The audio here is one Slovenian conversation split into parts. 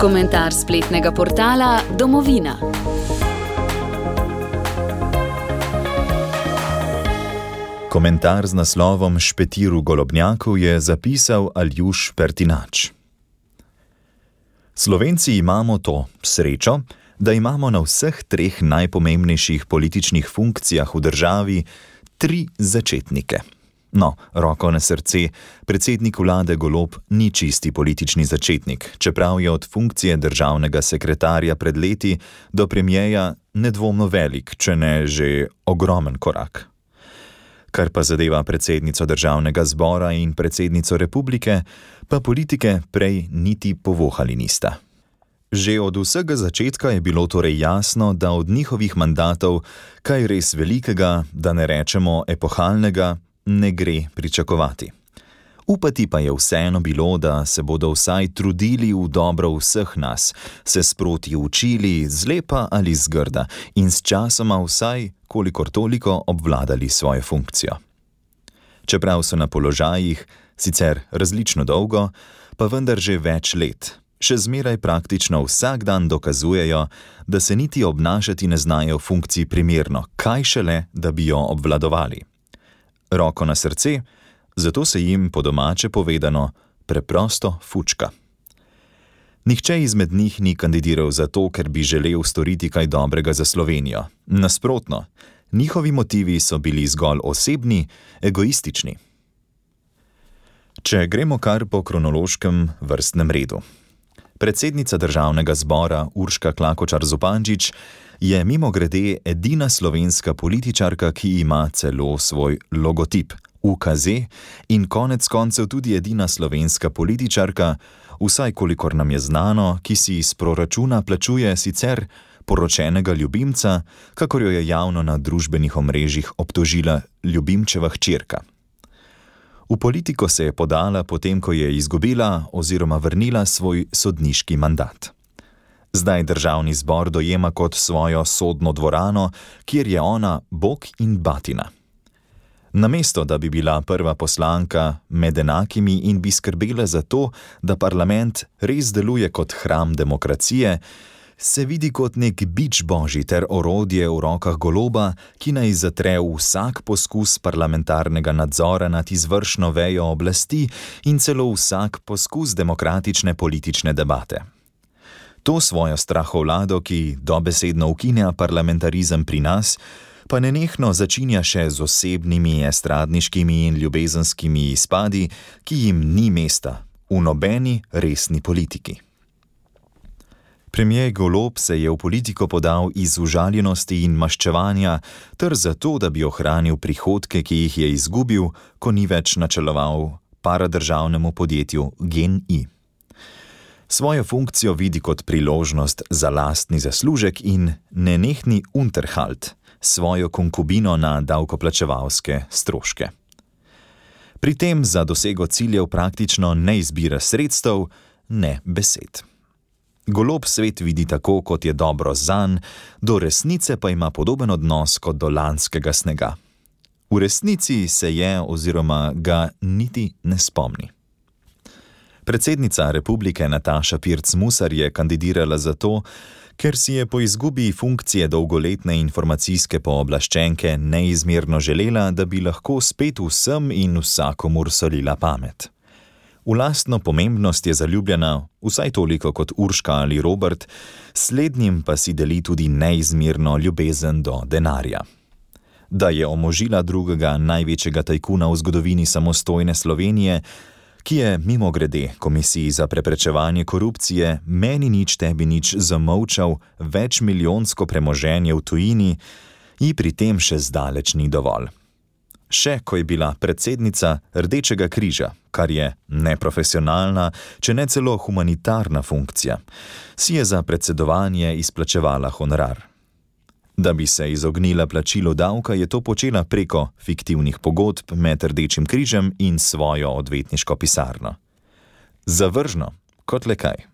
Komentar spletnega portala Domovina. Komentar z naslovom Špetir v Golobnjaku je zapisal Aljuš Pertinač. Slovenci imamo to srečo, da imamo na vseh treh najpomembnejših političnih funkcijah v državi 3 začetnike. No, roko na srce, predsednik vlade Golob ni čisti politični začetnik, čeprav je od funkcije državnega sekretarja pred leti do premierja nedvomno velik, če ne že ogromen korak. Kar pa zadeva predsednico državnega zbora in predsednico republike, pa politike prej niti povohali nista. Že od vsega začetka je bilo torej jasno, da od njihovih mandatov kaj res velikega, da ne rečemo epohalnega, ne gre pričakovati. Upati pa je vseeno bilo, da se bodo vsaj trudili v dobro vseh nas, se sproti učili zlepa ali zgrda in s časoma vsaj kolikor toliko obvladali svojo funkcijo. Čeprav so na položajih, sicer različno dolgo, pa vendar že več let, še zmeraj praktično vsak dan dokazujejo, da se niti obnašati ne znajo v funkciji primerno, kaj šele, da bi jo obvladovali. Roko na srce, zato se jim po domače povedano preprosto fučka. Nihče izmed njih ni kandidiral zato, ker bi želel storiti kaj dobrega za Slovenijo. Nasprotno, njihovi motivi so bili zgolj osebni, egoistični. Če gremo kar po kronološkem vrstnem redu. Predsednica državnega zbora Urška Klakočar Zupančič je mimogrede edina slovenska političarka, ki ima celo svoj logotip, UKZ, in konec koncev tudi edina slovenska političarka, vsaj kolikor nam je znano, ki si iz proračuna plačuje sicer poročenega ljubimca, kakor jo je javno na družbenih omrežjih obtožila ljubimčeva hčerka. V politiko se je podala potem, ko je izgubila oziroma vrnila svoj sodniški mandat. Zdaj državni zbor dojema kot svojo sodno dvorano, kjer je ona bog in batina. Namesto, da bi bila prva poslanka med enakimi in bi skrbela za to, da parlament res deluje kot hram demokracije, se vidi kot nek bič božji ter orodje v rokah Goloba, ki naj zatre vsak poskus parlamentarnega nadzora nad izvršno vejo oblasti in celo vsak poskus demokratične politične debate. To svojo strahovlado, ki dobesedno ukinja parlamentarizem pri nas, pa nenehno začinja še z osebnimi, estradniškimi in ljubezenskimi izpadi, ki jim ni mesta v nobeni resni politiki. Premier Golob se je v politiko podal iz užaljenosti in maščevanja, ter zato, da bi ohranil prihodke, ki jih je izgubil, ko ni več načeloval paradržavnemu podjetju GEN-I. Svojo funkcijo vidi kot priložnost za lastni zaslužek in nenehni unterhalt, svojo konkubino na davkoplačevalske stroške. Pri tem za dosego ciljev praktično ne izbira sredstev, ne besed. Golob svet vidi tako, kot je dobro zanj, do resnice pa ima podoben odnos kot do lanskega snega. V resnici se je oziroma ga niti ne spomni. Predsednica republike Nataša Pirc Musar je kandidirala zato, ker si je po izgubi funkcije dolgoletne informacijske pooblaščenke neizmerno želela, da bi lahko spet vsem in vsakomur solila pamet. V lastno pomembnost je zaljubljena, vsaj toliko kot Urška ali Robert, slednjim pa si deli tudi neizmerno ljubezen do denarja. Da je omožila drugega največjega tajkuna v zgodovini samostojne Slovenije, ki je mimogrede Komisiji za preprečevanje korupcije meni nič tebi nič zamolčal večmilijonsko premoženje v tujini, ji pri tem še zdaleč ni dovolj. Še ko je bila predsednica Rdečega križa, kar je neprofesionalna, če ne celo humanitarna funkcija, si je za predsedovanje izplačevala honorar. Da bi se izognila plačilu davka, je to počela preko fiktivnih pogodb med Rdečim križem in svojo odvetniško pisarno. Zavržno, kot le kaj.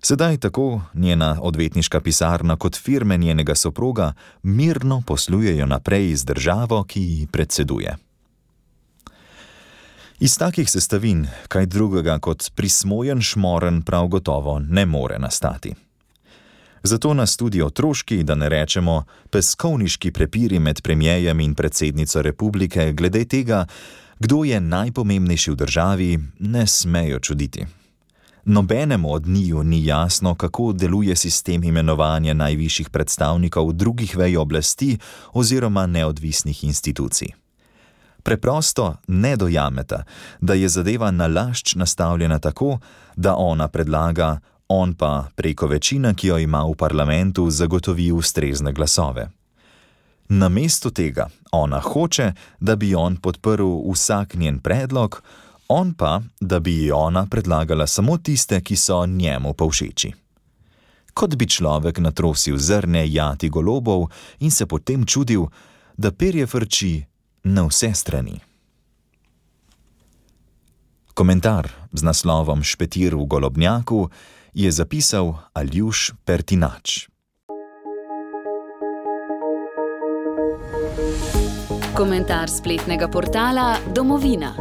Sedaj tako njena odvetniška pisarna kot firme njenega soproga mirno poslujejo naprej z državo, ki ji predseduje. Iz takih sestavin kaj drugega kot prismojen šmoren prav gotovo ne more nastati. Zato nas tudi otroški, da ne rečemo peskovniški prepiri med premierjem in predsednico republike glede tega, kdo je najpomembnejši v državi, ne smejo čuditi. Nobenemu od njiju ni jasno, kako deluje sistem imenovanja najvišjih predstavnikov drugih vej oblasti oziroma neodvisnih institucij. Preprosto ne dojameta, da je zadeva nalašč nastavljena tako, da ona predlaga, on pa preko večine, ki jo ima v parlamentu, zagotovi ustrezne glasove. Namesto tega ona hoče, da bi on podprl vsak njen predlog, on pa, da bi ona predlagala samo tiste, ki so njemu povšeči. Kot bi človek natrosil zrne jati golobov in se potem čudil, da perje frči na vse strani. Komentar z naslovom Špetir v golobnjaku je zapisal Aljuš Pertinač. Komentar spletnega portala Domovina.